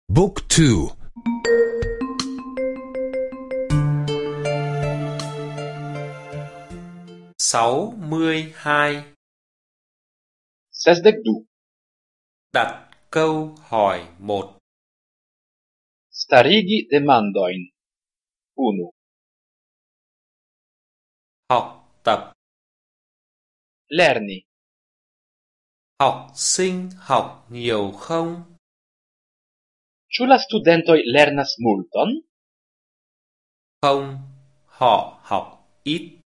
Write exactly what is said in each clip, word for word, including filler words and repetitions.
Book two. sáu mươi hai. Sesdek du. Đặt câu hỏi một. Starigi demandojn. Unu. Học tập. Lerni. Học sinh học nhiều không? Ĉu la studentoj lernas multon? Không, họ học ít.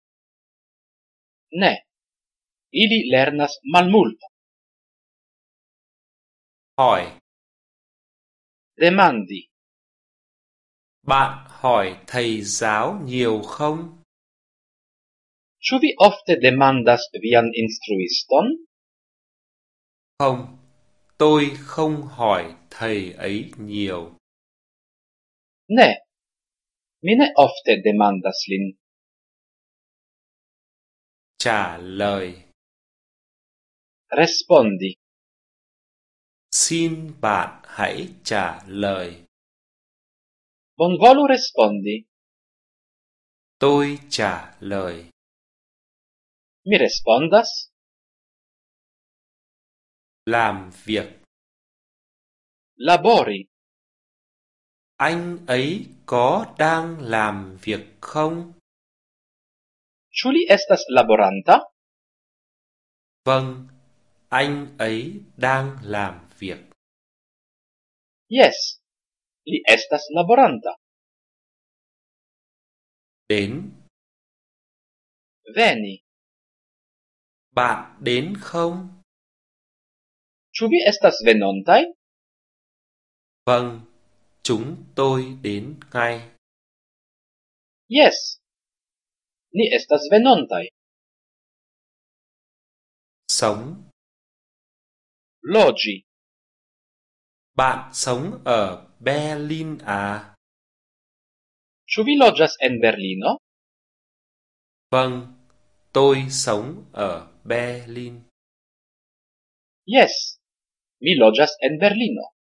Ne. Ili lernas malmulton. Hỏi. Demandi. Bạn hỏi thầy giáo nhiều không? Ĉu vi ofte demandas vian instruiston? Không, tôi không hỏi thầy ấy nhiều. Ne. Mi ne ofte demandas lin. Trả lời. Respondi. Xin bạn hãy trả lời. Bonvolu respondi. Tôi trả lời. Mi respondas. Làm việc. Labori. Anh ấy có đang làm việc không? Ĉu li estas laboranta? Vâng, anh ấy đang làm việc. Yes. Li estas laboranta. Đến. Veni. Bạn đến không? Ĉu vi estas venontaj? Vâng, chúng tôi đến ngay. Yes. Ni estas venontaj. Sống. Loĝi. Bạn sống ở Berlin à? Ĉu vi loĝas en Berlino? Vâng, tôi sống ở Berlin. Yes. Mi loĝas en Berlino.